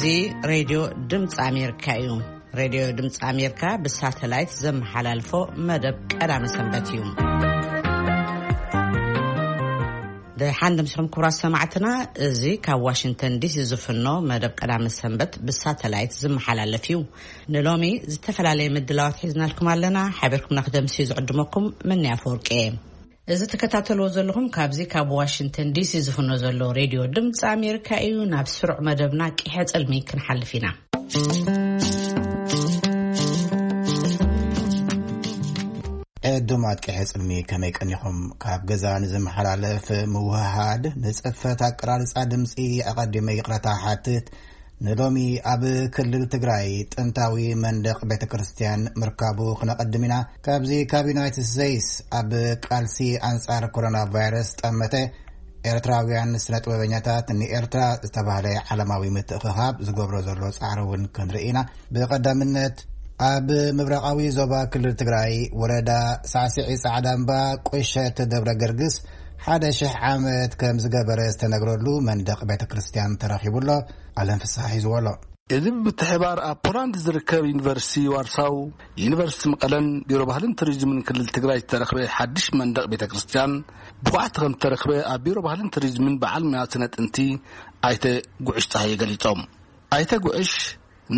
እዚ ሬድዮ ድምፂ ኣሜሪካ እዩ። ሬድዮ ድምፂ ኣሜሪካ ብሳተላይት ዘመሓላልፎ መደብ ቀዳመ ሰንበት እዩ። ደሓን ደምስኹም ክቡራት ሰማዕትና፣ እዚ ካብ ዋሽንግተን ዲሲ ዝፍኖ መደብ ቀዳመ ሰንበት ብሳተላይት ዝመሓላለፍ እዩ። ንሎሚ ዝተፈላለየ ምድላዋት ሒዝናልኩም ኣለና። ሓቢርኩም ናክደምሲ ዝዕድመኩም መን ኣፈወርቂ እየ። እዚ ትከታተልዎ ዘለኹም ካብዚ ካብ ዋሽንግተን ዲሲ ዝፍኖ ዘሎ ሬድዮ ድምፂ ኣሜሪካ እዩ። ናብ ስሩዕ መደብና ቂሐ ጽልሚ ክንሓልፍ ኢና። ዕዱማት ቂሐ ጽልሚ ከመይ ቀኒኹም? ካብ ገዛ ንዝመሓላለፍ ምውህሃድ ንጽፈት ኣቀራርጻ ድምፂ ኣቐዲመ ይቕረታ ሓትት። ንሎሚ ኣብ ክልል ትግራይ ጥንታዊ መንደቕ ቤተ ክርስቲያን ምርካቡ ክነቐድም ኢና። ካብዚ ካብ ዩናይትድ ስቴትስ ኣብ ቃልሲ ኣንጻር ኮሮና ቫይረስ ጠመተ ኤርትራውያን ስነ ጥበበኛታት ንኤርትራ ዝተባህለ ዓለማዊ ምትእኽኻብ ዝገብሮ ዘሎ ጻዕሪ እውን ክንርኢ ኢና። ብቐዳምነት ኣብ ምብራቓዊ ዞባ ክልል ትግራይ ወረዳ ሳዕስዒ ጻዕዳ እምባ ቁሸት ደብረ ገርግስ ሓደ ሽሕ ዓመት ከም ዝገበረ ዝተነግረሉ መንደቕ ቤተ ክርስቲያን ተረኺቡ ኣሎ። ኣለም ፍስሓ ሒዝዎ ኣሎ። እዚ ብምትሕባር ኣብ ፖላንድ ዝርከብ ዩኒቨርሲቲ ዋርሳው፣ ዩኒቨርሲቲ መቐለን ቢሮ ባህልን ቱሪዝምን ክልል ትግራይ ዝተረኽበ ሓድሽ መንደቕ ቤተ ክርስቲያን ብኳዕቲ ከም ዝተረኽበ ኣብ ቢሮ ባህልን ቱሪዝምን በዓል ሙያ ስነ ጥንቲ ኣይተ ጉዕሽ ፀሃየ ገሊፆም። ኣይተ ጉዕሽ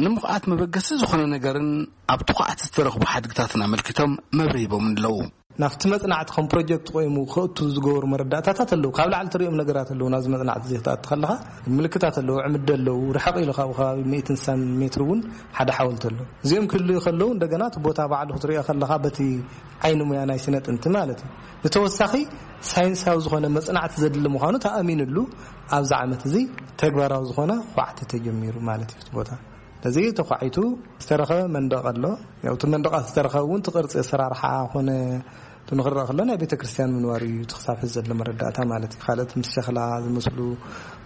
ንምኹዓት መበገሲ ዝኾነ ነገርን ኣብቲ ኳዕቲ ዝተረኽቡ ሓድግታትን ኣመልኪቶም መብርሂ ሂቦም ኣለዉ። ናብቲ መጽናዕቲ ከም ፕሮጀክት ቆይሙ ክእቱ ዝገበሩ መረዳእታታት ኣለዉ። ካብ ላዕሊ ትሪኦም ነገራት ኣለዉ። ናብዚ መጽናዕቲ እዚ ክትኣቱ ከለኻ ምልክታት ኣለዉ። ዕምዲ ኣለዉ። ርሕቕ ኢሉ ካብኡ ከባቢ ሚእትን ስሳን ሜትር እውን ሓደ ሓወልቲ ኣሎ። እዚኦም ክህልዩ ከለዉ እንደገና እቲ ቦታ ባዕሉ ክትሪኦ ከለኻ በቲ ዓይኒ ሙያ ናይ ስነ ጥንቲ ማለት እዩ። ብተወሳኺ ሳይንሳዊ ዝኾነ መጽናዕቲ ዘድሊ ምዃኑ ተኣሚንሉ ኣብዚ ዓመት እዚ ተግባራዊ ዝኾነ ኳዕቲ ተጀሚሩ ማለት እዩ። እቲ ቦታ እዚ ተኳዒቱ ዝተረኸበ መንደቕ ኣሎ። ያው እቲ መንደቓት ዝተረኸበ እውን እቲ ቅርጺ ኣሰራርሓ ኮነ እቲ ንኽረኣ ከሎ ናይ ቤተ ክርስቲያን ምንባር እዩ እቲ ክሳብ ሕዚ ዘሎ መረዳእታ ማለት እዩ። ካልኦት ምስ ሸኽላ ዝመስሉ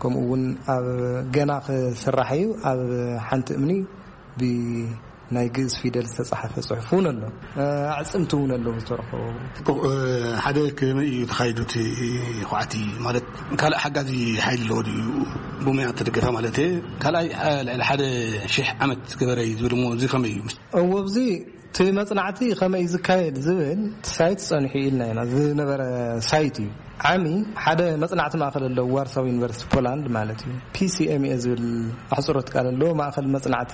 ከምኡ እውን ኣብ ገና ክስራሕ እዩ። ኣብ ሓንቲ እምኒ ብናይ ግእዝ ፊደል ዝተጻሓፈ ጽሑፍ እውን ኣሎ። ኣዕጽምቲ እውን ኣለዉ ዝተረኸቡ። እ፣ ሓደ ከመይ እዩ ተኻይዱ እቲ ኳዕቲ? ማለት ካልእ ሓጋዚ ሓይሊ ኣለዎ ድዩ? ብሙያ እተደገፈ ማለት እየ። ካልኣይ፣ እ፣ ልዕሊ ሓደ ሽሕ ዓመት ዝገበረ እዩ ዝብል እሞ፣ እዚ ከመይ እዩ? እዎ፣ ኣብዚ እቲ መጽናዕቲ ከመይ እዩ ዝካየድ ዝብል እቲ ሳይት ጸኒሑ ኢልና ኢና። ዝነበረ ሳይት እዩ። ዓሚ ሓደ መጽናዕቲ ማእከል ኣለዎ፣ ዋርሳው ዩኒቨርሲቲ ፖላንድ ማለት እዩ። ፒ ሲ ኤም ኤ ዝብል ኣሕጽሮት ቃል ኣለዎ፣ ማእከል መጽናዕቲ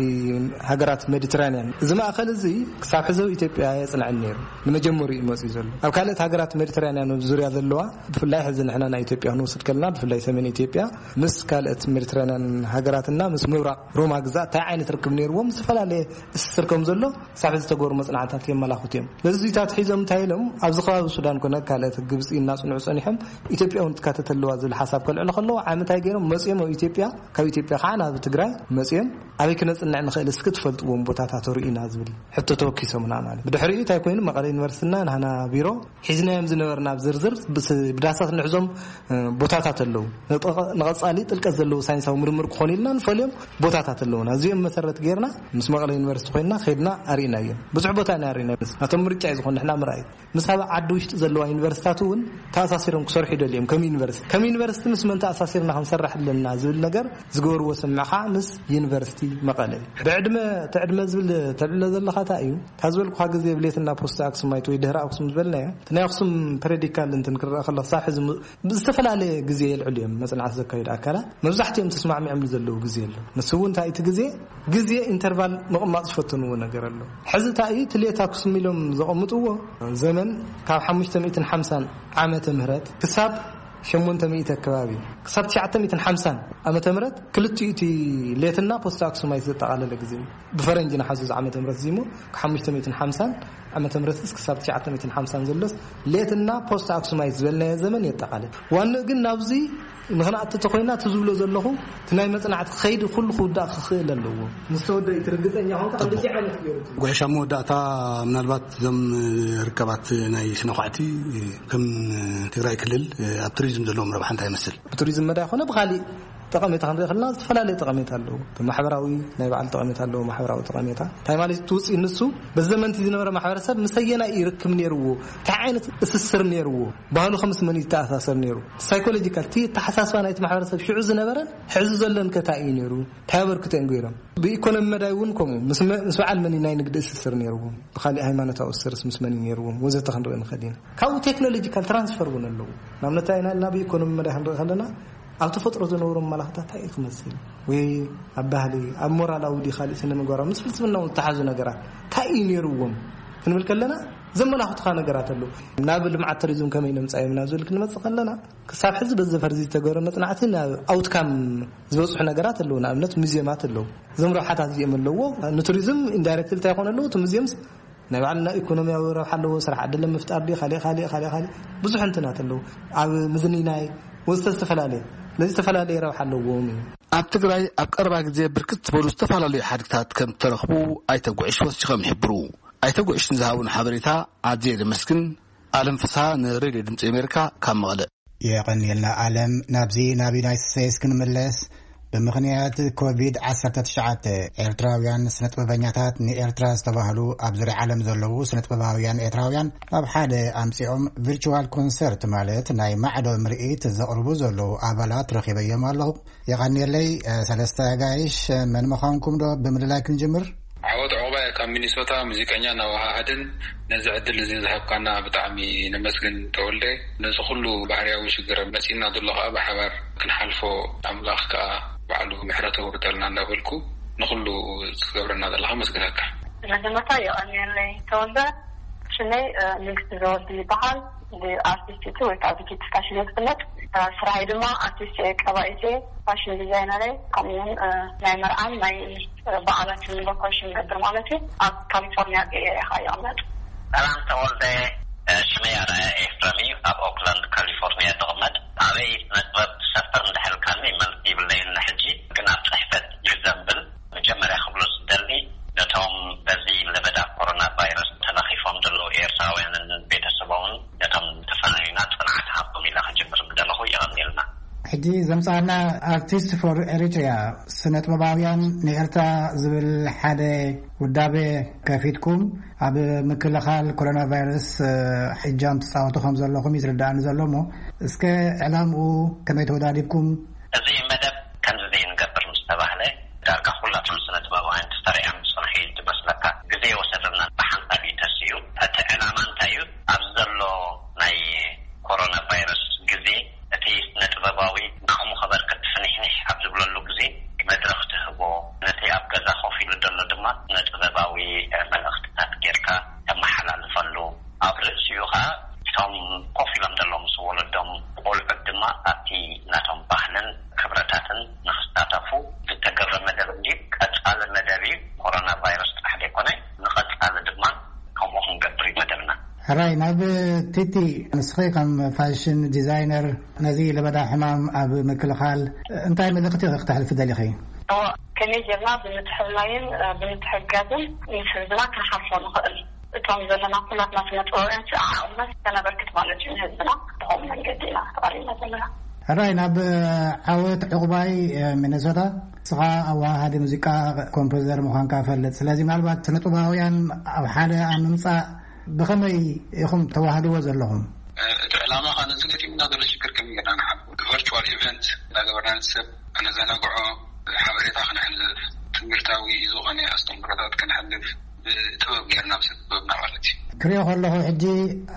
ሃገራት ሜዲትራንያን። እዚ ማእከል እዚ ክሳብ ሕዚ ኣብ ኢትዮጵያ የጽንዐን ነይሩ። ንመጀመርዩ እዩ መጽዩ ዘሎ። ኣብ ካልኦት ሃገራት ሜዲትራንያን ዙርያ ዘለዋ፣ ብፍላይ ሕዚ ንሕና ናይ ኢትዮጵያ ክንወስድ ከለና፣ ብፍላይ ሰሜን ኢትዮጵያ ምስ ካልኦት ሜዲትራንያን ሃገራትና ምስ ምብራቕ ሮማ ግዛእ እንታይ ዓይነት ርክብ ነይርዎም ዝተፈላለየ እስትር ከም ዘሎ ክሳብ ሕዚ ዝተገበሩ መጽናዕትታት የመላኽቱ እዮም። ነዚ ዙይታት ሒዞም እንታይ ኢሎም ኣብዚ ከባቢ ሱዳን ኮነ ካልኦት ግብጺ እናጽንዑ ጸኒሖም ኢትዮጵያ እውን ትካተት ኣለዋ ዝብል ሓሳብ ከልዕሉ ከለዉ ዓሚ እንታይ ገይሮም መጽዮም ኣብ ኢትዮጵያ፣ ካብ ኢትዮጵያ ከዓ ናብ ትግራይ መጽዮም ኣበይ ክነጽንዕ ንኽእል እስኪ ትፈልጥዎም ቦታታት ርኢና ዝብል ሕቶ ተወኪሶምና ማለት። ብድሕሪኡ እንታይ ኮይኑ መቐለ ዩኒቨርሲቲና ንሃና ቢሮ ሒዝናዮም ዝነበርና ኣብ ዝርዝር ብስ-፣ ብዳሳት ንሕዞም፣ እ፣ ቦታታት ኣለዉ። ንጠቐ-፣ ንቐጻሊ ጥልቀት ዘለዉ ሳይንሳዊ ምርምር ክኾኑ ኢልና ንፈልዮም ቦታታት ኣለዉና። እዚኦም መሰረት ጌርና ምስ መቐለ ዩኒቨርሲቲ ኮይንና ኸድና ኣርኢናዮም። ብዙሕ ቦታ ኢና ኣርኢናዮም። ናቶም ምርጫ እዩ ዝኾን ንሕና ምርኣይ። ምስ ኣብ ዓዲ ውሽጢ ዘለዋ ዩኒቨርሲታት እውን ተኣሳሲሮም ክሰርሑ ይደልዮም። ከም ዩኒቨርሲቲ፣ ከም ዩኒቨርሲቲ ምስ መን ተኣሳሲርና ክንሰርሕ ኣለና ዝብል ነገር ዝገበርዎ ስምምዕ ከዓ ምስ ዩኒቨርሲቲ መቐለ እዩ። ብዕድመ፣ እቲ ዕድመ ዝብል ተልዕሎ ዘለኻ እንታይ እዩ? ካብ ዝበልኩኻ ግዜ ብሌትና ፖስት ኣክሱማይት ወይ ድህሪ ኣክሱም ዝበልናዮ፣ እቲ ናይ ኣክሱም ፐረዲካል እንትን ክረኣ ከሎ ክሳብ ሕዚ ም-፣ ብዝተፈላለየ ግዜ የልዕሉ እዮም መጽናዕቲ ዘካየዱ ኣካላት። መብዛሕትኦም ተስማዕሚዖምሉ ዘለዉ ግዜ ኣሎ። ንሱ እውን እንታይ እቲ ግዜ፣ ግዜ ኢንተርቫል ምቕማጥ ዝፈተንዎ ነገር ኣሎ። ሕዚ እንታይ እዩ፣ እቲ ሌት ኣክሱም ኢሎም ዘቐምጥዎ ዘመን ካብ ሓሙሽተ ሚእትን ሓምሳን ዓመተ ምህረት ክሳብ ሸሞንተ ሚእቲ ኣከባቢ፣ ክሳብ ትሽዓተ ሚእትን ሓምሳን ዓመተ ምህረት ክልቲኡ እቲ ሌትና ፖስት ኣክሱማይት ዘጠቓለለ ግዜ እዩ። ብፈረንጂ ንሓዙ ዓመተ ምህረት እዚ እሞ ካብ ሓሙሽተ ሚእትን ሓምሳን ዓመተ ምህረት ክሳብ ትሽዓተ ሚእትን ሓምሳን ዘሎስ ሌትና ፖስት ኣክሱማይት ዝበልናዮ ዘመን የጠቓልል። ዋንኡ ግን ናብዚ ንኽንኣቱ ተኾይና እቲ ዝብሎ ዘለኹ እቲ ናይ መጽናዕቲ ኸይዲ ኩሉ ክውዳእ ክኽእል ኣለዎ። ምስ ተወደአ እቲ ርግጸኛ ኾንካ ጽቡቕ። ክንደይ ዓመት ገይሩ እቲ ጉዕሽ ኣብ መወዳእታ ምናልባት እዞም ርከባት ናይ ስነ ኳዕቲ ከም ትግራይ ክልል ኣብ ቱሪዝም ዘለዎም ረብሓ እንታይ ይመስል? ብቱሪዝም መዳይ ኾነ ብኻሊእ ጠቐሜታ ክንርኢ ከለና ዝተፈላለየ ጠቐሜታ ኣለዎ። ማሕበራዊ ናይ ባዕሉ ጠቐሜታ ኣለዎ። ማሕበራዊ ጠቐሜታ እንታይ ማለት ትውፅእ ንሱ በዘመንቲ ዝነበረ ማሕበረሰብ ምሰየና ይርክብ ነይርዎ፣ እንታይ ዓይነት እስስር ነይርዎ፣ ባህሉ ከምስ መን ይተኣሳሰር ነይሩ፣ ሳይኮሎጂካል እቲ ተሓሳስባ ናይቲ ማሕበረሰብ ሽዑ ዝነበረን ሕዚ ዘለን ከታይ እዩ ነይሩ፣ እንታይ ኣበርክቶ እዮም ገይሮም። ብኢኮኖሚ መዳይ እውን ከምኡ ምስ መ- ምስ በዓል መን ናይ ንግዲ እስስር ነይርዎም፣ ብካሊእ ሃይማኖታዊ እስርስ ምስ መን ነይርዎም ወዘተ ክንርኢ ንኽእል ኢና። ካብኡ ቴክኖሎጂካል ትራንስፈር እውን ኣለዎ። ንኣብነት ኢና ኢልና ብኢኮኖሚ መዳይ ክንርኢ ከለና ኣብ ተፈጥሮ ዝነብሩ መላኽታት እንታይ እዩ ክመስል ወይ ኣብ ባህሊ ኣብ ሞራላዊ ዲ ካልእ ስነ ምግባራዊ ምስ ፍልስፍናው ዝተሓዙ ነገራት እንታይ እዩ ነይርዎም ክንብል ከለና ዘመላኽቱካ ነገራት ኣለዉ። ናብ ልምዓት ቱሪዝም ከመይ ነምፃዮም ናብ ዝብል ክንመፅእ ከለና ክሳብ ሕዚ በዚ ፈርዚ ዝተገበረ መፅናዕቲ ናብ ኣውትካም ዝበፅሑ ነገራት ኣለዉ። ንኣብነት ሙዚየማት ኣለዉ። እዞም ረብሓታት እዚኦም ኣለዎ። ንቱሪዝም ኢንዳይሬክት እንታይ ይኾን ኣለዉ እቲ ሙዚየምስ ናይ ባዕልና ኢኮኖሚያዊ ረብሓ ኣለዎ። ስራሕ ዕድል ምፍጣር ዲ ካልእ ካልእ ካልእ ካልእ ብዙሕ እንትናት ኣለዉ። ኣብ ምዝንናይ ወዝተ ዝተፈላለየ ስለዚ ዝተፈላለየ ረብሓ ኣለዎም እዩ። ኣብ ትግራይ ኣብ ቀረባ ግዜ ብርክት ዝበሉ ዝተፈላለዩ ሓድግታት ከም እተረኽቡ ኣይተጉዕሽ ወሲኾም ይሕብሩ። ኣይተጉዕሽ ንዝሃቡን ሓበሬታ ኣዝየ ዘመስግን። ኣለም ፍስሃ ንሬድዮ ድምፂ ኣሜሪካ ካብ መቐለ። የቐንየልና ኣለም። ናብዚ ናብ ዩናይትድ ስቴትስ ክንምለስ። ብምኽንያት ኮቪድ ዓሰርተ ትሽዓተ ኤርትራውያን ስነጥበበኛታት ንኤርትራ ዝተባህሉ ኣብ ዙርያ ዓለም ዘለዉ ስነጥበባውያን ኤርትራውያን ኣብ ሓደ ኣምጺኦም ቪርቹዋል ኮንሰርት ማለት ናይ ማዕዶ ምርኢት ዘቕርቡ ዘለዉ ኣባላት ረኺበዮም ኣለኹ። የቐንየለይ። ሰለስተ ኣጋይሽ፣ መን ምዃንኩም ዶ ብምልላይ ክንጅምር? ዓወት ዑቕባይ ካብ ሚኒሶታ ሙዚቀኛ ናወሃሃድን ነዚ ዕድል እዚ ዝሃብካና ብጣዕሚ ነመስግን ተወልደ። ነዚ ኩሉ ባህርያዊ ሽግር መጺእና ዘሎ ከኣ ብሓባር ክንሓልፎ ኣምላኽ ከኣ ባዕሉ ምሕረት ኣውርደልና እንዳበልኩ ንኹሉ ትገብረና ዘለኻ መስግነካ። መጀመርታ የቐንየለይ ተወልደ። ሽመይ ንግስቲ ዘወዲ ይበሃል። ብኣርቲስቲቲ ወይ ከዓ ብኪቲ ፋሽን እየ ዝፍለጥ። ስራይ ድማ ኣርቲስት እየ፣ ቀባኢት እየ፣ ፋሽን ዲዛይነር እየ። ከምኡውን ናይ መርዓን ናይ በዓላትን ሎኮሽን ገብር ማለት እዩ። ኣብ ካሊፎርኒያ ገየር እየ ይቕመጥ። ሰላም ተወልደ። ሽመይ ኣርኣያ ኤፍረም እዩ። ኣብ ኦክላንድ ካሊፎርኒያ ዝቕመጥ። ኣበይ ስነ ጥበብ ትሰፍር እንድሕልካኒ መልሲ ይብለይን ሕጂ ግን ኣብ ፅሕፈት ይዘንብል። መጀመርያ ክብሎ ዝደሊ ነቶም በዚ ለበዳ ኮሮና ቫይረስ ተለኺፎም ዘለዉ ኤርትራውያንን ቤተሰቦምን ነቶም ተፈናዩና ጽንዓት ሃቦም ኢለ ክጅምር ምደለኹ። የቐንየልና። ሕጂ ዘምጻና ኣርቲስት ፎር ኤሪትሪያ ስነጥበባውያን ንኤርትራ ዝብል ሓደ ውዳቤ ከፊትኩም ኣብ ምክልኻል ኮሮና ቫይረስ ሕጃም ትጻወቱ ከም ዘለኹም ይዝርዳእኒ ዘሎ እሞ እስከ ዕላምኡ ከመይ ተወዳዲብኩም? እዚ መደብ ከምዚ ዘይንገብር ምስ ተባህለ ዳርጋ ኩላቶም ስነ ጥበባውያን ተሰሪዖም ዝጸንሑ እዩ ዝመስለካ። ግዜ የወሰደና ብሓንሳብ እዩ ተሲኡ። እቲ ዕላማ እንታይ እዩ? ኣብዚ ዘሎ ናይ ኮሮና ቫይረስ ግዜ እቲ ስነ ጥበባዊ ንዓቕሙ ከበርክት ፍንሕንሕ ኣብ ዝብለሉ ግዜ መድረኽ ትህቦ፣ ነቲ ኣብ ገዛ ኮፍ ኢሉ ዘሎ ድማ ስነ ጥበባዊ መልእኽትታት ጌርካ ተመሓላልፈሉ። ኣብ ርእሲኡ ኸዓ እቶም ኮፍ ኢሎም ዘለዉ ምስ ወለዶም ቆልዑት ድማ ኣብቲ ናቶም ባህልን ክብረታትን ንኽሳተፉ ዝተገብረ መደብ እንዲ ቀጻሊ መደብ እዩ። ኮሮና ቫይረስ ጥራሕ ዘይኮነ ንቐጻሊ ድማ ከምኡ ክንገብር እዩ መደብና። ሕራይ ናብ ቲቲ፣ ንስኺ ከም ፋሽን ዲዛይነር ነዚ ለበዳ ሕማም ኣብ ምክልኻል እንታይ መልእኽቲ ኢኺ ክተሕልፊ ደሊኺ? እወ፣ ከመይ ጌርና ብምትሕልላይን ብምትሕጋዝን ምስ ህዝብና ክንሓልፎ ንኽእል? እቶም ዘለና ኩላትና ስነ ጥበባውያን ዓቕምና ከነበርክት ማለት እዩ ንህዝብና። ብኸምኡ መንገዲ ኢና ተቐሪብና ዘለና። ሕራይ ናብ ዓወት ዕቑባይ ሚነሶታ። ንስኻ ኣወሃሃዲ ሙዚቃ ኮምፖዘር ምዃንካ እፈልጥ። ስለዚ ምናልባት ስነ ጥበባውያን ኣብ ሓደ ኣብ ምምጻእ ብኸመይ ኢኹም ተዋህድዎ ዘለኹም? እቲ ዕላማ ኸዓ ነዚ ገጢሙና ዘሎ ሽግር ከመይ ጌርና ንሓልፎ፣ ቨርቹዋል ኢቨንት እናገበርና ነቲ ሰብ ከነዘናግዖ፣ ሓበሬታ ከነሕልፍ፣ ትምህርታዊ ዝኾነ ኣስተምህሮታት ከነሕልፍ፣ ብጥበብ ጌርና፣ ብስነ ጥበብና ማለት እዩ። ክሪኦ ከለኹ ሕጂ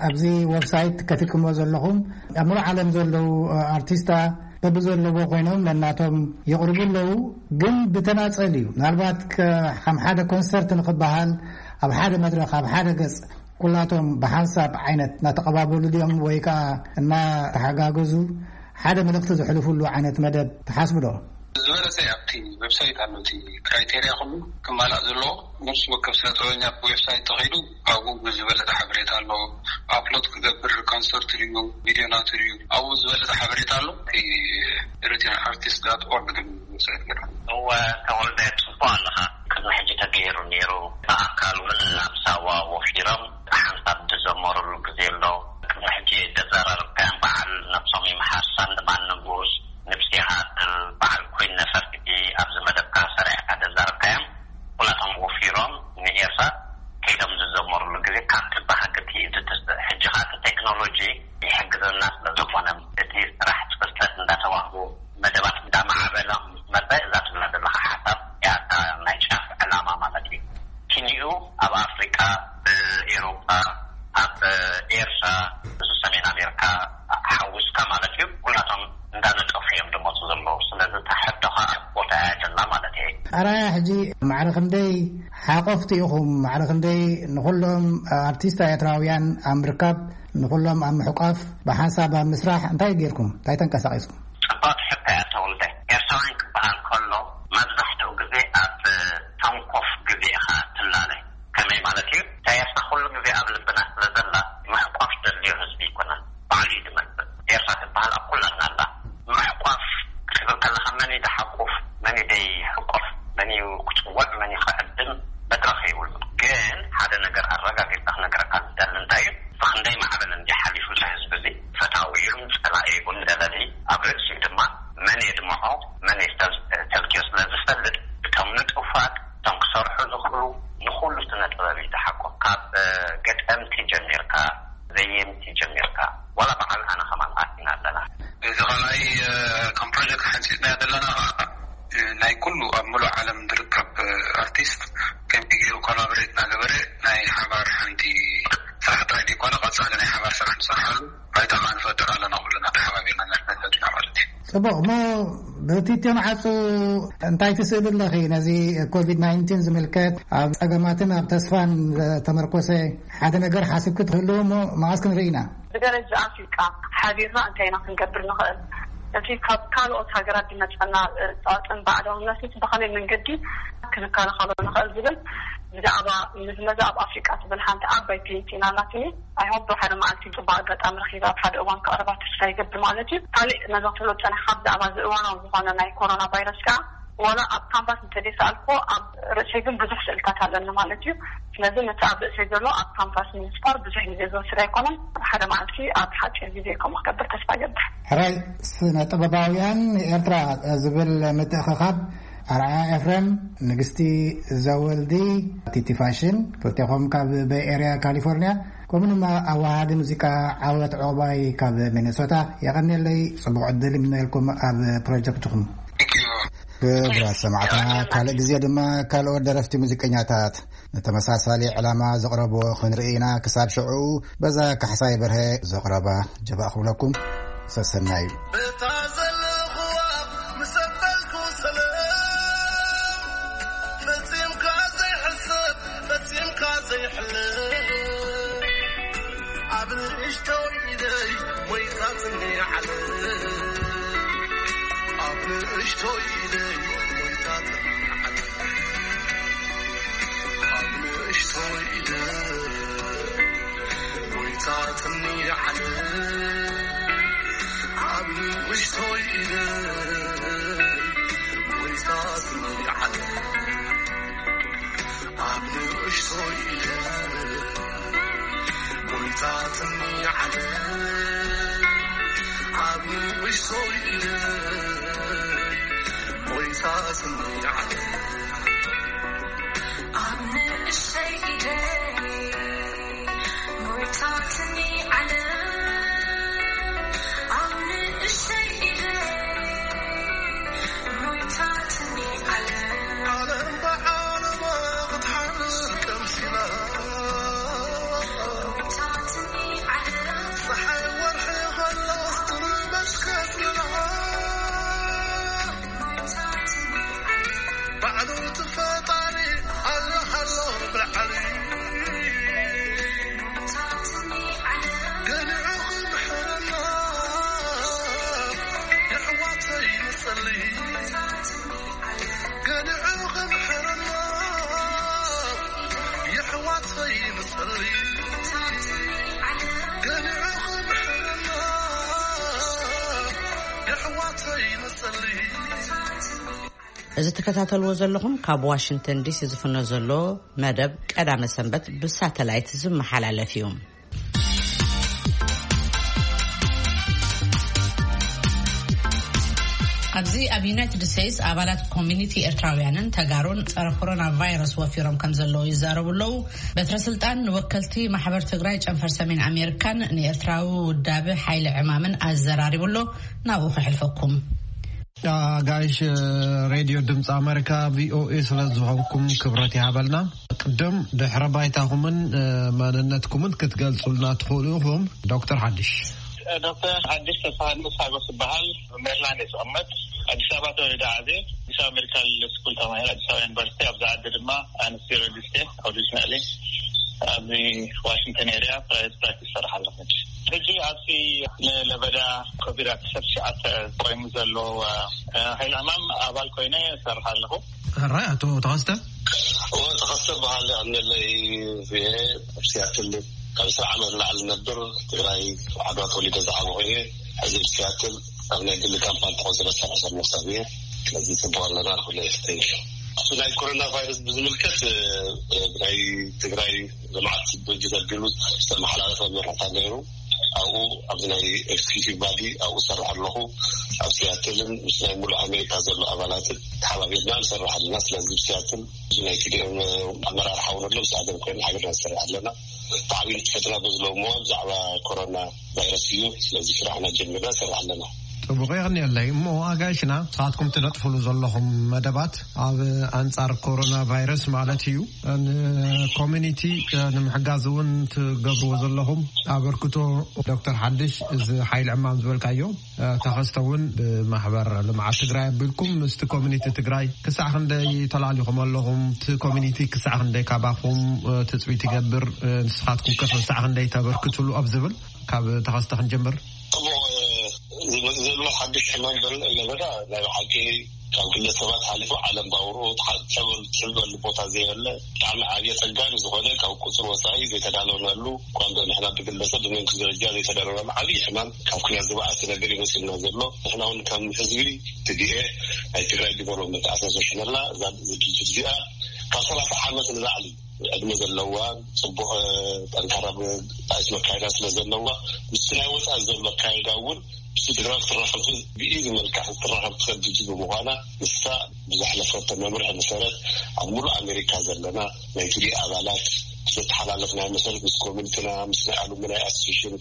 ኣብዚ ዌብሳይት ከፊትኩምዎ ዘለኹም ኣብ ሙሉእ ዓለም ዘለዉ ኣርቲስታ በብዘለዎ ኮይኖም ነናቶም የቕርቡ ኣለዉ፣ ግን ብተናጸል እዩ። ምናልባት ከ-፣ ከም ሓደ ኮንሰርት ንኽበሃል ኣብ ሓደ መድረኽ ኣብ ሓደ ገጽ ኩላቶም ብሓንሳብ ዓይነት እናተቐባበሉ ድዮም ወይ ከኣ እናተሓጋገዙ ሓደ መልእኽቲ ዘሕልፉሉ ዓይነት መደብ ትሓስቡ ዶ? ዝበለጸ ኣብቲ ዌብሳይት ኣሎ፣ እቲ ክራይቴርያ ኩሉ ክማላእ ዘለዎ። ነፍሲ ወከፍ ስነ ጥበበኛ ዌብሳይት ተኸይዱ ኣብኡ ብዝበለጸ ሓበሬታ ኣሎ። ኣፕሎድ ክገብር ኮንሰርት ድዩ ቪድዮ ናቱ ድዩ ኣብኡ ዝበለጸ ሓበሬታ ኣሎ። እቲ ኤሪትሪያን ኣርቲስት ዳት ኦርግ ዝብል ዌብሳይት ገይርና። እወ ተወልደ፣ ጽቡቕ ኣለኻ። ቅድሚ ሕጂ ተገይሩ ነይሩ። ብኣካል እውን ናብ ሳዋ ወፊሮም ሓንሳብ ዝዘመሩሉ ግዜ ኣሎ። ቅድሚ ሕጂ ዘዘራረብካዮም በዓል ነብሶም ይምሓር፣ ሳንድማን ንጉስ፣ ንብሲ ይሃድል፣ በዓል ቴክኖሎጂ ይሕግዘና ስለ ዝኾነ፣ እቲ ስራሕ ጽፈት እንዳተዋህቡ መደባት እንዳማዕበለ ምስ መጸ፣ እዛ ትብላ ዘለኻ ሓሳብ እያ እታ ናይ ጫፍ ዕላማ ማለት እዩ። ኪንኡ ኣብ ኣፍሪቃ፣ ኣብ ኤውሮጳ፣ ኣብ ኤርትራ፣ እዚ ሰሜን ኣሜሪካ ሓዊስካ ማለት እዩ፣ ኩላቶም እንዳነጠፉ እዮም ዝመጹ ዘለዉ። ስለዚ እታ ሕቶ ኸኣ ቦታ እያ ዘላ ማለት እየ። ኣራያ፣ ሕጂ ማዕረ ክንደይ ሓቆፍቲ ኢኹም? ማዕረ ክንደይ ንኹሎም ኣርቲስት ኤርትራውያን ኣብ ምርካብ፣ ንኹሎም ኣብ ምሕቋፍ፣ ብሓንሳብ ኣብ ምስራሕ እንታይ ጌርኩም? እንታይ ተንቀሳቒስኩም? ጽብቕቲ ሕቶ እያ ተወልደ። ኤርትራውያን ክበሃል ከሎ መብዛሕትኡ ግዜ ኣብ ተንኮፍ ግዜ ኢኻ ትላለ። ከመይ ማለት እዩ? እታ ኤርትራ ኩሉ ግዜ ኣብ ልብና ስለ ዘላ፣ ምሕቋፍ ዘድልዮ ህዝቢ ኣይኮነን። ባዕሉ እዩ ዝመጽእ። ኤርትራ ትበሃል ኣብ ኩላትና ኣላ። ምሕቋፍ ክትብል ከለኻ፣ መን እዩ ዝሓቁፍ፣ መን እዩ ዘይሕቆፍ፣ መን እዩ ክጽውዕ፣ መን እዩ ክዕድም መድረኽ የብሉን። ግን ሓደ ነገር ኣረጋጊጽካ ክነግረካ ዝደሊ እንታይ እዩ? ብኽንደይ ማዕበል እንዲ ሓሊፉ እዚ ህዝቢ እዚ፣ ፈታዊ ይኹን ጸላኢ ይኹን ደለሊ፣ ኣብ ርእሲኡ ድማ መን የድምዖ፣ መን የስተል-፣ ተልክዮ ስለ ዝፈልጥ፣ እቶም ንጡፋት፣ እቶም ክሰርሑ ዝኽእሉ፣ ንኹሉ ስነ ጥበብ እዩ ዝሓቁፍ። ካብ፣ እ፣ ገጠምቲ ጀሚርካ፣ ዘየምቲ ጀሚርካ፣ ዋላ በዓል ኣነ ከማን ኣቲና ኣለና። እዚ ካልኣይ፣ እ፣ ከም ፕሮጀክት ሓንጺጽናዮ ዘለና ኸዓ፣ እ፣ ናይ ኩሉ ኣብ ምሉእ ዓለም ዝርከብ፣ እ፣ ኣርቲስት ከመይ ገይሩ ኮላቦሬት እናገበረ ናይ ሓባር ሓንቲ ስራሕ ጥራይ ዘይኮነ፣ ቀጻሊ ናይ ሓባር ስራሕ ንሰርሓሉ ባይታ ኸዓ ንፈጥር ኣለና፣ ኩልና ተሓባቢርና ንሰርሕ ዘለና ማለት እዩ። ጽቡቕ። እሞ ብቲትዮ መዓጹ እንታይ ትስእሊ ኣለኺ? ነዚ ኮቪድ ናይንቲን ዝምልከት፣ ኣብ ጸገማትን ኣብ ተስፋን ዝተመርኮሰ ሓደ ነገር ሓስብኪ ትህልው እሞ መዓስ ክንርኢ ኢና? ብደረጃ ኣፍሪቃ ሓቢርና እንታይ ኢና ክንገብር ንኽእል? እቲ ካብ ካልኦት ሃገራት ዝመጸና፣ እ፣ ጸቕጥን ባዕዳውነትን ብኸመይ መንገዲ ክንከላኸሎ ንኽእል ዝብል ብዛዕባ ምዝመዛ ኣብ ኣፍሪቃ ትብል ሓንቲ ዓባይ ፕሊንቲን ኣላትኒ። ኣይሆፕ ሓደ መዓልቲ ጽቡቅ ኣጋጣሚ ረኺበ ኣብ ሓደ እዋን ከቕርባ ተስፋ ይገብር ማለት እዩ። ካሊእ ነዞም ትብሎ ጸኒሕካ ብዛዕባ እዚ እዋናዊ ዝኾነ ናይ ኮሮና ቫይረስ ከኣ፣ ዋላ ኣብ ካንቫስ እንተዘይሰኣልኩዎ፣ ኣብ ርእሰይ ግን ብዙሕ ስእልታት ኣለኒ ማለት እዩ። ስለዚ ነቲ ኣብ ርእሰይ ዘሎ ኣብ ካንቫስ ንምስፋር ብዙሕ ግዜ ዝወስድ ኣይኮነን። ሓደ መዓልቲ ኣብ ሓጺር ግዜ ከምኡ ክገብር ተስፋ ይገብር። ሕራይ፣ ስነ ጥበባውያን ኤርትራ ዝብል ምትእኽኻብ፣ ኣርኣያ ኤፍሬም፣ ንግስቲ ዘወልዲ፣ ቲቲ ፋሽን፣ ክልቴኹም ካብ ቤይ ኤርያ ካሊፎርኒያ፣ ከምኡ ድማ ኣወሃሃዲ ሙዚቃ ዓወት ዑቕባይ ካብ ሚነሶታ፣ የቐንየለይ፣ ጽቡቕ ዕድል ይምነየልኩም ኣብ ፕሮጀክትኹም። ክቡራት ሰማዕትና፣ ካልእ ግዜ ድማ ካልኦት ደረፍቲ ሙዚቀኛታት ንተመሳሳሊ ዕላማ ዘቕረብዎ ክንርኢ ኢና። ክሳብ ሽዑ፣ በዛ ካሕሳይ በርሀ ዘቕረባ ጀባእ ክብለኩም፣ ሰሰናዩ። በታ ዘለኹዋ ምስ ኣበልኩ ሰላም፣ ፈጺምካ ዘይሕሰብ፣ ፈጺምካ ዘይሕለፍ፣ ኣብ ንእሽቶይ ኢደይ ሞይታትኒ ዓለም፣ ኣብ ንእሽቶይ ኢደይ ሞይታትኒ ዓለም። ኣብ ንእሽቶይ ኢደ ሞይታትኒ ዓለም፣ ኣብ ንእሽቶይ ኢደ ሞይታትኒ ዓለም፣ ኣብ ንእሽቶይ ኢደ ሞይታትኒ ዓለም፣ ኣብ ንእሽቶይ ኢደ ሞይታትኒ ዓለም። ኣብ ንእሽተይ ኢደይ ሞይታትኒ ዓለም፣ ኣብ ንእሽተይ ኢደይ ሞይታትኒ ዓለም። ዓለም ብዓለማ ክትሓልፍ ቀምሲላ፣ ሞይታትኒ ዓለም። ጸሓይ ወርሒ ኸላስ ትርበሽ ከስላ። ባዕሉ እቲ ፈጣሪ ኣለ ኣሎ ብልዓሊ፣ ገሊዑ ክምሕረና የሕዋተይ ንጸሊ፣ ገሊዑ ክምሕረና የሕዋተይ ንጸሊ፣ ገሊዑ ክምሕረና የሕዋተይ ንጸሊ። እዚ ትከታተልዎ ዘለኹም ካብ ዋሽንግተን ዲሲ ዝፍኖ ዘሎ መደብ ቀዳመ ሰንበት ብሳተላይት ዝመሓላለፍ እዩ። ኣብዚ ኣብ ዩናይትድ ስቴትስ ኣባላት ኮሚኒቲ ኤርትራውያንን ተጋሩን ጸረ ኮሮና ቫይረስ ወፊሮም ከም ዘለዉ ይዛረቡ ኣለዉ። በትረ ስልጣን ንወከልቲ ማሕበር ትግራይ ጨንፈር ሰሜን ኣሜሪካን ንኤርትራዊ ውዳበ ሓይሊ ዕማምን ኣዘራሪቡ ኣሎ። ናብኡ ከሕልፈኩም። ኣጋይሽ ሬድዮ ድምፂ ኣሜሪካ ቪኦኤ ስለ ዝኾንኩም ክብረት ይሃበልና። ቅድም ድሕረ ባይታኹምን መንነትኩምን ክትገልጹልና ትኽእሉ ኢኹም? ዶክተር ሓድሽ። ዶክተር ሓድሽ ተስፋሃንስ ሓጎስ ይበሃል። ሜሪላንድ እየ ዝቕመጥ። ኣዲስ ኣበባ ተወሊደ ዓብየ። ኣዲስ ኣበባ ሜዲካል ስኩል ተማሂረ ኣዲስ ኣበባ ዩኒቨርሲቲ። ኣብዚ ዓዲ ድማ ኣነስቴዚዮሎጂስት እየ ኦሪጂናሊ። ኣብዚ ዋሽንግተን ኤሪያ ፕራይቬት ፕራክቲስ ይሰርሕ ኣለኹ። ሕጂ ኣብዚ ንለበዳ ኮቪድ ኣርባዕተ ቆይሙ ዘሎ ሓይሊ ዕማም ኣባል ኮይነ እሰርሕ ኣለኹ። ሕራይ ኣቶ ተኸስተ። እወ፣ ተኸስተ በሃል። ኣነለይ ኣብ ሲያትል ካብ ዕስራ ዓመት ንላዕሊ ነብር። ትግራይ ዓድዋ ተወሊደ ዝዓበኹ እየ። ሕዚ ኣብ ሲያትል ኣብ ናይ ግሊ ካምፓኒ ተቆፂረ ዝሰርሕ ዘለኹ ሰብ እየ። ስለዚ ጽቡቕ ኣለና ኩለ። Thank you። እቲ ናይ ኮሮና ቫይረስ ብዝምልከት ናይ ትግራይ ልምዓት ድርጅት ኣቢሉ ዝተመሓላለፈ መምርሕታ ነይሩ። ኣብኡ ኣብዚ ናይ ኤክስኪዩቲቭ ባዲ ኣብኡ ዝሰርሕ ኣለኹ። ኣብ ሲያትልን ምስ ናይ ሙሉእ ኣሜሪካ ዘሎ ኣባላትን ተሓባቢርና ንሰርሕ ኣለና። ስለዚ ኣብ ሲያትል እዚ ናይ ቲዲኤም ኣመራርሓ እውን ኣሎ። ምስ ኣደም ኮይና ሓቢርና ንሰርሕ ኣለና። ብዓብዩ ንጥፈትና በዚ ሎሚ እዋን ብዛዕባ ኮሮና ቫይረስ እዩ። ስለዚ ስራሕና ጀሚርና ንሰርሕ ኣለና። ጽቡቕ የቕንየለይ። እሞ ኣጋይሽና ንስኻትኩም ትነጥፍሉ ዘለኹም መደባት ኣብ ኣንጻር ኮሮና ቫይረስ ማለት እዩ ንኮሚኒቲ ንምሕጋዝ እውን ትገብርዎ ዘለኹም ኣበርክቶ። ዶክተር ሓድሽ፣ እዚ ሓይሊ ዕማም ዝበልካዮ ተኸስተ እውን ብማሕበር ልምዓት ትግራይ ኣቢልኩም ምስቲ ኮሚኒቲ ትግራይ ክሳዕ ክንደይ ተላሊኹም ኣለኹም? እቲ ኮሚኒቲ ክሳዕ ክንደይ ካባኹም ትፅቢት ይገብር? ንስኻትኩም ከ ክሳዕ ክንደይ ተበርክትሉ ኣብ ዝብል ካብ ተኸስተ ክንጀምር። ጽቡቕ። ዝመጽእ ዘሎ ሓድሽ ሕማም በል ለበዳ ናይ ብሓቂ ካብ ግለሰባት ሓሊፉ ዓለም ባውሩ ትሕበሉ ቦታ ዘየለ ብጣዕሚ ዓብየ ጸጋ ንዝኾነ ካብ ቁጽሪ ወጻኢ ዘይተዳለውናሉ እኳ እንዶ ንሕና ብግለሰብ ብመንግስቲ ደረጃ ዘይተዳለውናሉ ዓብይ ሕማም ካብ ኩናት ዝበኣሰ ነገር ይመስልና ዘሎ። ንሕና እውን ከም ህዝቢ ትዲኤ ናይ ትግራይ ዲቨሎፕመንት ኣሶሲሽን ኣላ እዛ ድርጅት እዚኣ ካብ ሰላሳ ዓመት ንላዕሊ ዕድመ ዘለዋ ጽቡቕ ጠንካራ ጣይት መካየዳ ስለ ዘለዋ ምስቲ ናይ ወፃኢ ዘሎ ኣካየዳ እውን ምስቲ ትግራይ ክትራኸብ ብኢዚ መልክዕ ክትራኸብ ትኽእል ድርጅት ብምዃና ንሳ ብዘሕለፈቶ መምርሒ መሰረት ኣብ ሙሉእ ኣሜሪካ ዘለና ናይ ቲዲ ኣባላት ብዘተሓላለፍናዮ መሰረት ምስ ኮሚኒቲና ምስ ናይ ኣሉምናይ ኣሶሴሽን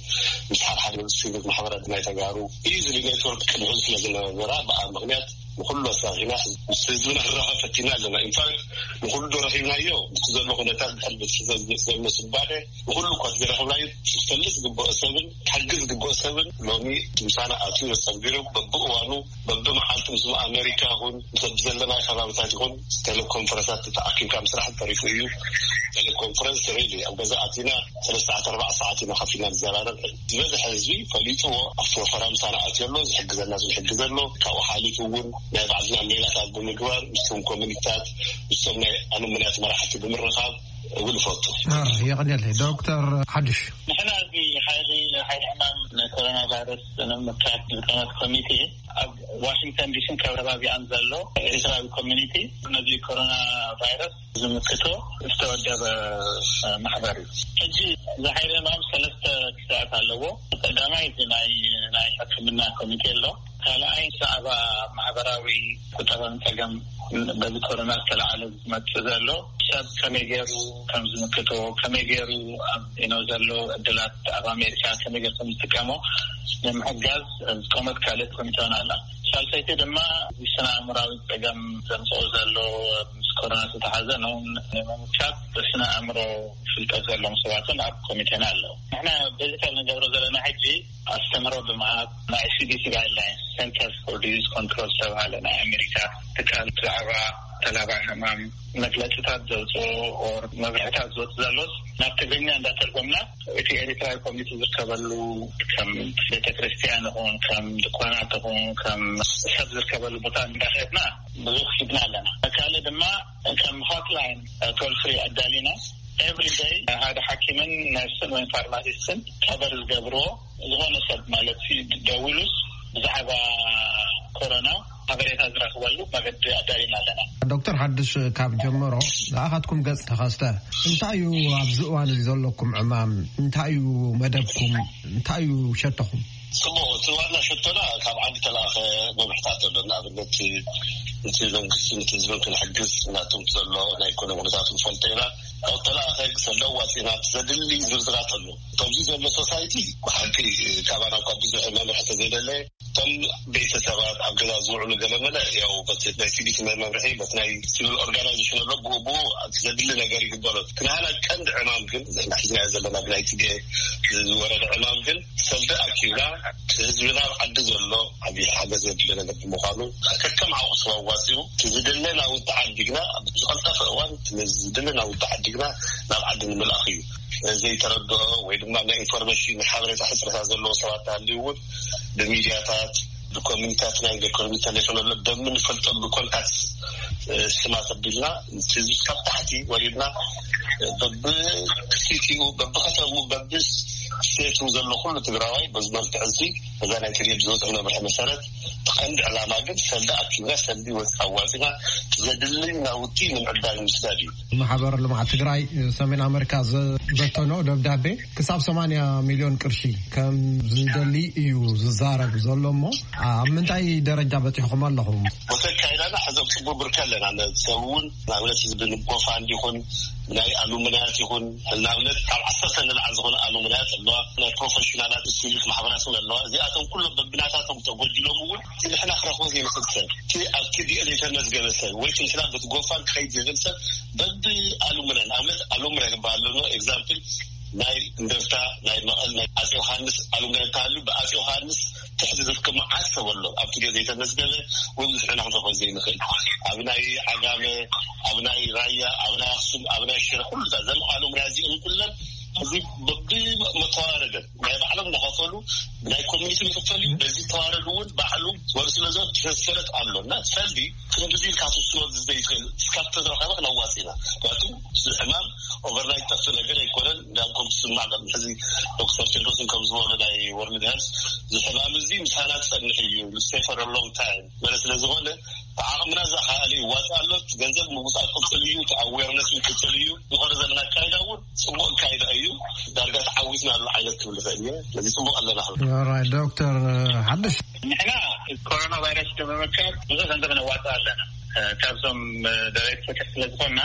ምስ ሓድሓደ ሲቪክ ማሕበራት ናይ ተጋሩ ኢዝሊ ኔትወርክ ቅድሚ ስለ ዝነበራ ብኣ ምክንያት ንኩሉ ኣሳኺና ምስ ህዝብና ክራኸብ ፈቲና ኣለና። ኢንፋክት ንኩሉ ዶ ረኺብናዮ ምስቲ ዘሎ ኩነታት ድሕሪ ቤተሰብ ዘሎ ስባደ ንኩሉ እኳ ዝረኸብናዮ ክፈልጥ ዝግብኦ ሰብን ክሕግዝ ዝግብኦ ሰብን ሎሚ ምሳና ኣትዩ ተጸንቢሩ በብእዋኑ በብመዓልቲ ምስ ኣሜሪካ ይኹን ምስ ዘለናዮ ከባብታት ይኹን ቴሌኮንፈረንሳት ተኣኪብካ ምስራሕ ተሪፉ እዩ። ቴሌኮንፈረንስ ሪሊ ኣብ ገዛ ኣቲና ሰለስተ ሰዓት ኣርባዕተ ሰዓት ኢና ከፊልና ንዘራረብ። ዝበዝሐ ህዝቢ ፈሊጥዎ ኣብቲ ወፈራ ምሳና ኣትዮ ኣሎ ዝሕግዘና ዝሕግዘ ኣሎ። ካብኡ ሓሊፉ እውን ናይ ባዕልና ሜላታት ብምግባር ምስቶም ኮሚኒታት ምስቶም ናይ ኣሉምናያት መራሕቲ ብምርኻብ እውን እፈቱ። የቐንየለይ ዶክተር ሓድሽ። ንሕና እዚ ሓይሊ ሓይሊ ሕማም ንኮሮና ቫይረስ ንምምካት ዝቀመጥ ኮሚቴ ኣብ ዋሽንግተን ዲሲን ከባቢኣን ዘሎ ኤርትራዊ ኮሚኒቲ ነዚ ኮሮና ቫይረስ ዝምክቶ ዝተወደበ ማሕበር እዩ። ሕጂ እዚ ሓይሊ ሕማም ሰለስተ ክፍልታት ኣለዎ። ቀዳማይ እቲ ናይ ናይ ሕክምና ኮሚቴ ኣሎ። ካልኣይ ብዛዕባ ማሕበራዊ ቁጠባን ጸገም በዚ ኮሮና ዝተለዓለ ዝመጽእ ዘሎ ሰብ ከመይ ገይሩ ከም ዝምክቶ ከመይ ገይሩ ኣብ ኢኖ ዘሎ ዕድላት ኣብ ኣሜሪካ ከመይ ገይሩ ከም ዝጥቀሞ ንምሕጋዝ ዝቆመት ካልእ ኮሚቴ እውን ኣላ። ሳልሰይቲ ድማ እዚ ስነ ኣእምራዊ ጸገም ዘምጽኦ ዘሎ ምስ ኮሮና ዝተሓዘ ነውን ንምምካት ብስነ ኣእምሮ ፍልጠት ዘለዎም ሰባትን ኣብ ኮሚቴና ኣለዉ። ንሕና ቤዚካል ንገብሮ ዘለና ሕጂ ኣስተምህሮ ብምሃብ ናይ ሲዲሲ ጋይድላይንስ ሴንተርስ ፎር ዲዚዝ ኮንትሮል ዝተባሃለ ናይ ኣሜሪካ ትካል ብዛዕባ ተላባዒ ሕማም መግለፅታት ዘውፅኦ ኦር መብርሕታት ዝወፅ ዘሎስ ናብ ትግርኛ እንዳተርጎምና እቲ ኤሪትራዊ ኮሚኒቲ ዝርከበሉ ከም ቤተክርስትያን ይኹን ከም ድኳናት ይኹን ከም ሰብ ዝርከበሉ ቦታ እንዳኸድና ብዙሕ ሂብና ኣለና። ካልእ ድማ ከም ሆትላይን ቶል ፍሪ ኣዳሊና ኤቭሪ ደይ ሓደ ሓኪምን ነርስን ወይ ፋርማሲስትን ከበር ዝገብርዎ ዝኾነ ሰብ ማለት ደዊሉስ ብዛዕባ ኮሮና ሓበሬታ ዝረኽበሉ መገዲ ኣዳሊና ኣለና። ዶክተር ሓድሽ ካብ ጀመሮ ዝኣኻትኩም ገጽ ተኸስተ እንታይ እዩ ኣብዚ እዋን እዚ ዘለኩም ዕማም እንታይ እዩ መደብኩም እንታይ እዩ ሸቶኹም? ጽቡቕ፣ እቲ ዋና ሸቶና ካብ ዓዲ ተለኣኸ መምርሕታት ኣሎ። ንኣብነት እቲ መንግስቲ ነቲ ህዝብን ክንሕግዝ ናቶም ዘሎ ናይ ኢኮኖሚ ኩነታት ንፈልጦ ኢና። ካብ ተለኣኸ ሰለ ዋፂና ዘድሊ ዝርዝራት ኣሎ። ከምዚ ዘሎ ሶሳይቲ ብሓቂ ካባና እኳ ብዙሕ መምርሒ ተዘይደለ፣ እቶም ቤተሰባት ኣብ ገዛ ዝውዕሉ ገለመለ ያው በቲ ናይ ሲቪክ መምርሒ በቲ ናይ ሲቪል ኦርጋናይዜሽን ኣሎ ብኡ ብኡ እቲ ዘድሊ ነገር ይግበሮ። እቲ ናህና ቀንዲ ዕማም ግን ንሕና ሒዝናዮ ዘለና ብናይ ቲዲኤ ዝወረደ ዕማም ግን ሰልዲ ኣኪብና ህዝብና ኣብ ዓዲ ዘሎ ዓብዪ ሓገዝ ዘድሊ ነገር ብምዃኑ ከከም ዓቕሱ ኣዋፂኡ እቲ ዝድለ ናውቲ ዓዲግና ኣብ ዝቐልጠፈ እዋን እቲ ዝድለ ናውቲ ዓዲግና ናብ ዓዲ ንምልኣኽ እዩ። ዘይተረድኦ ወይ ድማ ናይ ኢንፎርሜሽን ሓበሬታ ሕፅረታት ዘለዎ ሰባት ተሃልዩ እውን ብሚድያታት ብኮሚኒታት ናይ ኢኮኖሚ ተሌፎን ኣሎ በምንፈልጦ ብኮንታክት ስማት ኣቢልና ህዝቢ ካብ ታሕቲ ወሪድና በብሲቲኡ በብከተሙ በብስቴቱ ዘሎ ኩሉ ትግራዋይ በዚ መልክዕ እዚ እዛ ናይ ትሪት ዝወፅእ መምርሒ መሰረት እቲ ቀንዲ ዕላማ ግን ሰልዲ ኣኪብና ሰልዲ ወፅ ኣዋፂና ዘድሊ ናውቲ ንምዕዳግ ምስዳድ እዩ። ማሕበር ልምዓት ትግራይ ሰሜን ኣመሪካ ዝበተኖ ደብዳቤ ክሳብ ሰማንያ ሚልዮን ቅርሺ ከም ዝደሊ እዩ ዝዛረብ ዘሎ እሞ ኣብ ምንታይ ደረጃ በፂሕኹም ኣለኹም? ወተካይዳና ሕዞም ፅቡቅ ብርካ ኣለና። ሰብ እውን ንኣብነት ህዝቢ ንጎፋ እንዲኹን ናይ ኣሉምናያት ይኹን ንኣብነት ካብ ዓሰርተ ንላዕሊ ዝኾነ ኣሉምናያት ኣለዋ። ናይ ፕሮፌሽናላት ሲቪክ ማሕበራት እውን ኣለዋ። እዚኣቶም ኩሎም በብናታቶም ተጎዲሎም እውን እቲ ንሕና ክረኽቦ ዘይንኽእል ሰብ እቲ ኣብ ቲዲኤ ዘይተመዝገበ ሰብ ወይ ክንስላ በቲ ጎፋን ክኸይድ ዘይኽእል ሰብ በቢ ኣሉምና ንኣብነት ኣሉምና ይባሃል ኣሎ። ኤግዛምፕል ናይ እንደርታ ናይ መቐል ናይ ኣፄ ዮሃንስ ኣሉምና እንተሃልዩ ብኣፄ ዮሃንስ ትሕቲ ዝርከብ መዓት ሰብ ኣሎ ኣብቲ ግዜ ዘይተመዝገበ ወይ ብዙሕ ኢና ክንረኽቦ ዘይንኽእል ኣብ ናይ ዓጋመ ኣብ ናይ ራያ ኣብ ናይ ኣክሱም ኣብ ናይ ሽረ ኩሉ ዘለዓሉ ምርያ እዚኦም ኩለን እዚ ብመተዋረደ ናይ ባዕሎም እናኸፈሉ ናይ ኮሚኒቲ ዝኽፈል እዩ። በዚ ተዋረድ እውን ባዕሉ ወር ስለዞ ተሰረት ኣሎ እና ሰልዲ ክንድዚ ኢልካ ትውስኖ ዘይትኽእል እስካብ ተዝረኸበ ክነዋፅ ኢና። ምክንያቱ እዚ ሕማም ኦቨርናይት ጠፍእ ነገር ኣይኮነን። እንዳልኩም ትስማዕ ቅድሚ ሕዚ ዶክተር ቴድሮስን ከም ዝበሎ ናይ ወርልድ ሄልስ እዚ ሕማም እዚ ምሳና ዝፀንሕ እዩ stay for a long time መለ ስለ ዝኾነ ብዓቕምና ዝኸኣለ ይዋፃእ ኣሎ። እቲ ገንዘብ ምውፃእ ክቅፅል እዩ። እቲ ኣዌርነስ ክቅፅል እዩ። ዝኾነ ዘለና ኣካይዳ እውን ፅቡቅ ኣካይዳ እዩ። ዳርጋ ተዓዊትና ኣሎ ዓይነት ክብል ይኽእል እየ። ስለዚ ፅቡቅ ኣለና ክብል ኦራይት ዶክተር ሓድሽ ንሕና ኮሮና ቫይረስ ንምምካር ብዙሕ ገንዘብ ነዋፅእ ኣለና። ካብዞም ደረይቲ ፍትሕ ስለ ዝኾንና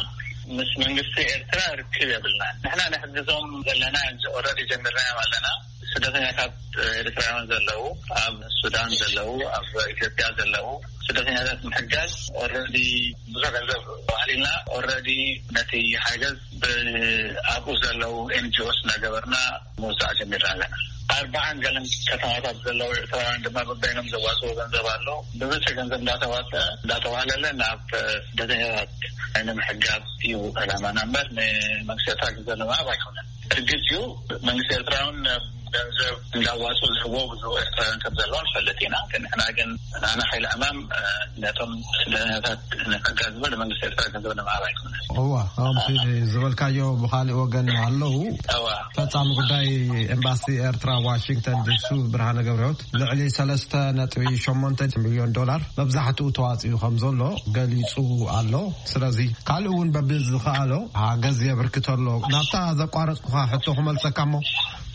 ምስ መንግስቲ ኤርትራ ርክብ የብልና። ንሕና ንሕግዞም ዘለና ኦረዲ ጀሚርናዮም ኣለና። ስደተኛታት ኤርትራውያን ዘለዉ ኣብ ሱዳን ዘለዉ ኣብ ኢትዮጵያ ዘለዉ ስደተኛታት ምሕጋዝ ኦረዲ ብዙሕ ገንዘብ ባህሊና ኦረዲ ነቲ ሓገዝ ብኣብኡ ዘለዉ ኤንጂኦስ እናገበርና ምውሳዕ ጀሚርና ኣለና። ኣርባዓን ገለን ከተማታት ዘለዉ ኤርትራውያን ድማ በበይኖም ዘዋፅዎ ገንዘብ ኣሎ። ብብዝሒ ገንዘብ እንዳተዋፀ እንዳተዋህለለ ናብ ስደተኛታት ንምሕጋዝ እዩ ዕላማና እምበር ንመንግስቲ ኤርትራ ገንዘብ ንምሃብ ኣይኮነን። እርግጥ እዩ መንግስቲ ኤርትራ እውን ገንዘብ እንዳዋፁ ዝህቦ ብዙ ኤርትራውያን ከም ዘለዋ ንፈልጥ ኢና። ግን ንሕና ግን ናና ሓይሊ ዕማም ነቶም ስደተኛታት ንምሕጋዝ እምበር ንመንግስቲ ኤርትራ ገንዘብ ንምሃብ ኣይኮነን። እዋ ከምቲ ዝበልካዮ ብካሊእ ወገን ኣለዉ። እዋ ፈጻሚ ጉዳይ ኤምባሲ ኤርትራ ዋሽንግተን ዲሲ ብርሃነ ገብረህይወት ልዕሊ ሰለስተ ነጥቢ ሸሞንተ ሚልዮን ዶላር መብዛሕትኡ ተዋፂኡ ከም ዘሎ ገሊፁ ኣሎ። ስለዚ ካልእ እውን በብዝኸኣሎ ሓገዝ የበርክት ኣሎ። ናብታ ዘቋረፅኩኻ ሕቶ ክመልሰካ እሞ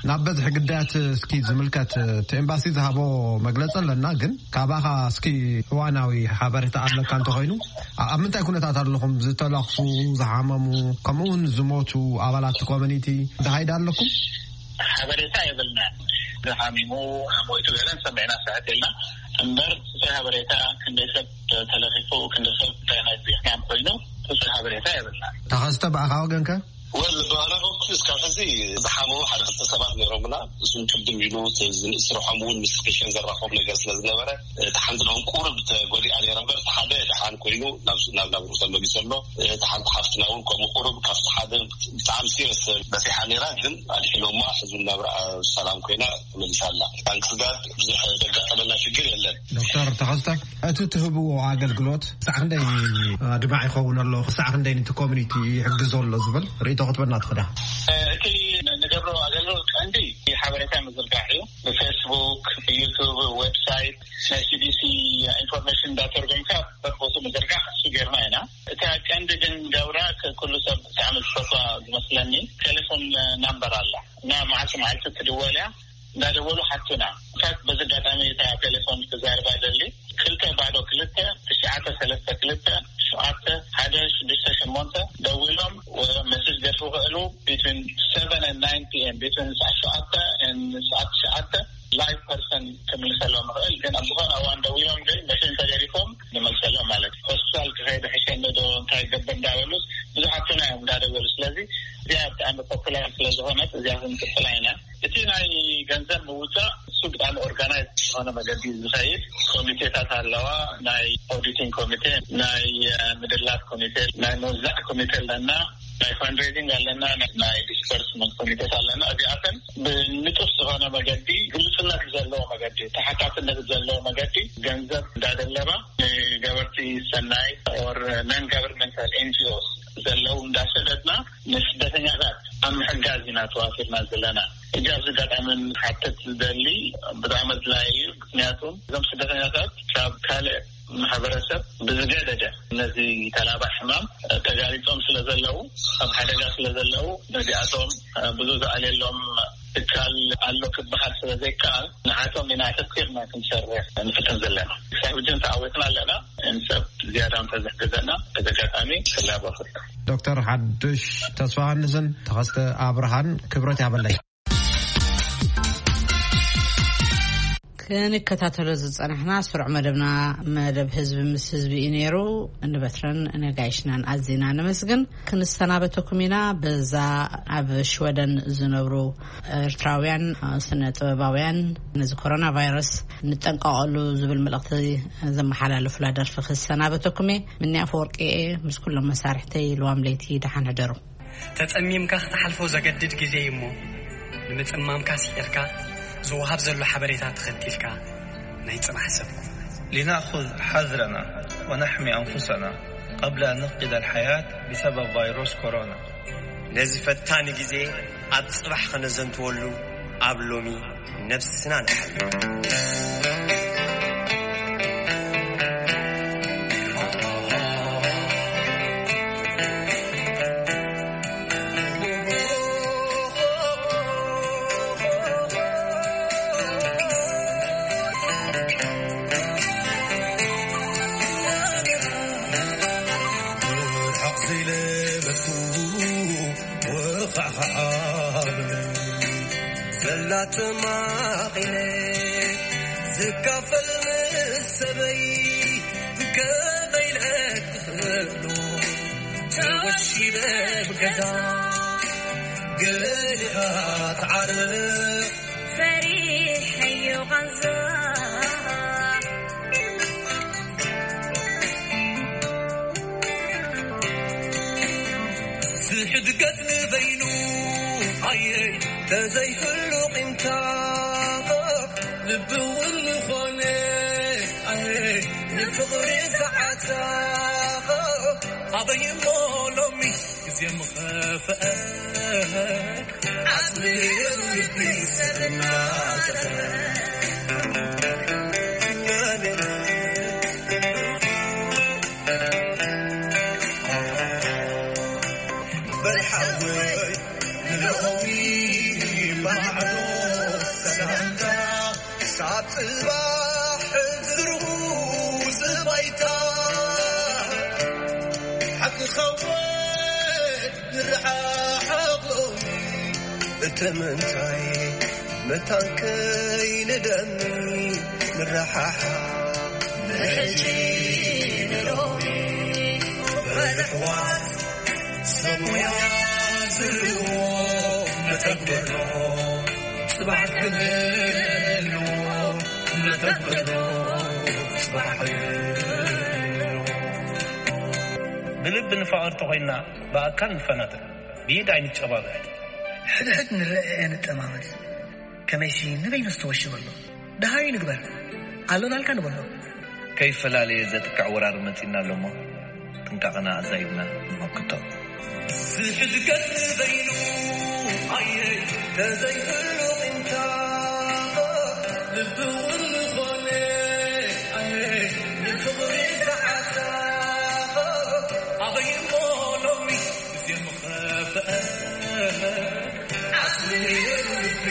ናብ በዝሒ ግዳያት እስኪ ዝምልከት እቲ ኤምባሲ ዝሃቦ መግለፂ ኣለና። ግን ካባኻ እስኪ እዋናዊ ሓበሬታ ኣለካ እንተኾይኑ ኣብ ምንታይ ኩነታት ኣለኹም? ዝተላኽፉ፣ ዝሓመሙ፣ ከምኡ እውን ዝሞቱ ኣባላት ኮሚኒቲ ዝሃይዳ ኣለኩም? ሓበሬታ የብልና። ዝሓሚሙ ሞይቱ ገለን ሰሚዕና ሰዓት የልና እምበር እቲ ሓበሬታ ክንደይ ሰብ ተለኺፉ ክንደይ ሰብ እንታይ ናይ ዜና ኮይኑ እቲ ሓበሬታ የብልና። ተኸስተ ብኣኻ ወገንከ? ወል ብኣና በኩል እስካብ ሕዚ ዝሓመሙ ሓደ ክልተ ሰባት ነይሮምና። እሱም ቅድም ኢሉ ዝንእስርሖም እውን ምስ ፔሽን ዘራኸቡ ነገር ስለ ዝነበረ እቲ ሓንቲ ሎም ቁርብ ተጎዲኣ ነይረ እምበር እቲ ሓደ ደሓን ኮይኑ ናብ ናብ ናብሩ ተመሊሱ ኣሎ። እቲ ሓንቲ ሓፍትና እውን ከምኡ ቁርብ ካብቲ ሓደ ብጣዕሚ ሲረስ በሲሓ ነይራ ግን ኣድሒኖማ ሕዚ ናብራ ሰላም ኮይና ተመሊሳ ኣላ። ታንክስ ጋድ ብዙሕ ዘጋጠመና ሽግር የለን። ዶክተር ተኸስተ እቲ ትህብዎ ኣገልግሎት ክሳዕ ክንደይ ኣድማዕ ይኸውን ኣሎ ክሳዕ ክንደይ ነቲ ኮሚኒቲ ይሕግዞ ኣሎ ዝብል ርእይቶ ክትበና ትኽዳ? እቲ ንገብሮ ኣገልግሎት ቀንዲ ሓበሬታ ምዝርጋሕ እዩ። ብፌስቡክ፣ ዩቱብ፣ ዌብሳይት ናይ ሲዲሲ ኢንፎርሜሽን እንዳተርጎምካ በቦቱ ምዝርጋሕ እሱ ጌርና ኢና። እታ ቀንዲ ግን ገብራ ኩሉ ሰብ ብጣዕሚ ዝፈትዋ ዝመስለኒ ቴሌፎን ናምበር ኣላ እና መዓልቲ መዓልቲ ትድወል እያ። እንዳደወሉ ሓቱና። ንሳት በዚ ኣጋጣሚ እታ ቴሌፎን ክዛረባ ደሊ ክልተ ባዶ ክልተ ትሽዓተ ሰለስተ ክልተ ሸውዓተ ሓደ ሽዱሽተ ሸሞንተ ደዊሎም ወ መሴጅ ገድፉ ክእሉ። Between seven and nine p.m., between ሰዓት ሸውዓተ and ሰዓት ትሽዓተ ላይቭ ፐርሰን ክምልሰሎም ይኽእል። ግን ኣብ ዝኾነ እዋን ደዊሎም ግን መሽን ተገዲፎም ንመልሰሎም ማለት እዩ። ሆስፒታል ክኸይድ ሕሸኒ ዶ እንታይ ገብር እንዳበሉስ ብዙሓትና እዮም እንዳደወሉ። ስለዚ እዚኣ ብጣዕሚ ፖፑላር ስለዝኾነት እዚኣ ክንቅፅላ ኢና። እቲ ናይ ገንዘብ ምውፃእ እሱ ብጣዕሚ ኦርጋናይዝ ዝኾነ መገዲ ዝኸይድ ኮሚቴታት ኣለዋ። ናይ ኦዲቲንግ ኮሚቴ፣ ናይ ምድላት ኮሚቴ፣ ናይ ምውዛዕ ኮሚቴ ኣለና። ናይ ፋንድሬዚንግ ኣለና፣ ናይ ዲስፐርስመንት ኮሚቴት ኣለና። እዚኣተን ብንጡፍ ዝኾነ መገዲ፣ ግልፅነት ዘለዎ መገዲ፣ ተሓታትነት ዘለዎ መገዲ ገንዘብ እንዳደለባ ንገበርቲ ሰናይ ኦር ነን ጋቨርንመንታል ኤንጂኦስ ዘለዉ እንዳሰደድና ንስደተኛታት ኣብ ምሕጋዝ ኢና ተዋፊርና ዘለና። እጃ ኣብዚ ኣጋጣሚ ሓተት ዝደሊ ብጣዕሚ ኣድላይ እዩ። ምክንያቱ እዞም ስደተኛታት ካብ ካልእ ማሕበረሰብ ብዝገደደ ነዚ ተላባዕ ሕማም ተጋሊጾም ስለ ዘለዉ ኣብ ሓደጋ ስለ ዘለዉ ነዚኣቶም ብዙ ዝኣልየሎም ትካል ኣሎ ክበሃል ስለ ዘይከኣል ንዓቶም ኢና ኣተኪርና ክንሰርሕ ንፍትን ዘለና። ክሳብ ሕጂ ተዓዊትና ኣለና። እንሰብ ዝያዳ እንተዝሕግዘና በዚ ኣጋጣሚ ክላበኹ። ዶክተር ሓዱሽ ተስፋሃንስን ተኸስተ ኣብርሃን ክብረት ያበለይ። ክንከታተሎ ዝጸናሕና ስሩዕ መደብና መደብ ህዝቢ ምስ ህዝቢ እዩ ነይሩ። ንበትረን ነጋይሽናን ኣዚና ነመስግን። ክንሰናበተኩም ኢና። በዛ ኣብ ሽወደን ዝነብሩ ኤርትራውያን ስነ ጥበባውያን ነዚ ኮሮና ቫይረስ ንጠንቀቐሉ ዝብል መልእኽቲ ዘመሓላለፉላ ደርፊ ክሰናበተኩም እየ። ምንያ ኣፈወርቂ እየ ምስ ኩሎም መሳርሕተይ። ልዋም ለይቲ ደሓን ሕደሩ። ተጸሚምካ ክትሓልፎ ዘገድድ ግዜ እዩ እሞ፣ ንምጽማምካ ስዒርካ ዝወሃብ ዘሎ ሓበሬታ ተኸቲልካ ናይ ጽባሕ ሰብ ኩን። لنأخذ حذرنا ونحمي أنفسنا قبل أن نفقد الحياة بسبب فيروس كورونا. ነዚ ፈታኒ ግዜ ኣብ ጽባሕ ከነዘንትወሉ ኣብ ሎሚ ነብስና ንሓሉ። ዘላ ተማቒለ ዝካፈል ምስ ሰበይ ከመይ ኢለ ክኽእሎ ተወሺለ ብገዛ ገሊኻ ትዓርቕ ፈሪሐዮ ቃንዛ ዝሕድገት ንበይኑ ኣየ ተዘይህሉ ቂምታ ልቢ እውን ዝኾነ ኣየ ንፍቕሪ ዝዓታ ኣበይ እሞ ሎሚ ግዜ ምኸፍአ ዓጽሚ ልቢ ሰብና በል ሓወይ ንሎሚ ማዕዶ ሰላምታ ሳብ ጽባሕ ዝርጉ ዝባይታ ሓቂ ኸውን ንረሓቕ ሎሚ እቲ ምንታይ መታን ከይንደሚ ንረሓሓ ንሕጂ ንሎሚ በልሕዋት ሰብ ሞያ ዝህልዎ መተግበሮ ጽባሕ ክህልዎ መተግበሮ ጽባሕ ክህልዎ ብልቢ ንፋቐር ተኾይንና ብኣካል ንፈናጠር ብኢድ ኣይንጨባበጥ። ሕድሕድ ንረኣየ ንጠማመት። ከመይሲ ንበይኑ ዝተወሽበ ኣሎ። ደሃዩ ንግበር። ኣሎናልካ ንበሎ። ከይፈላለየ ዘጥቅዕ ወራር መጺእና ኣሎ እሞ ጥንቃቐና ኣዛይድና ንመክቶ። ዝሕድገት ንበይኑ ኣየ ተዘይህሉ ቂምታ ልቢ እውን ዝኾነ ኣየ ንፍቕሪ ዝዓታ ኣበይ እሞ ሎሚ ግዜ ምኸፍአ ዓስሊ ልቢ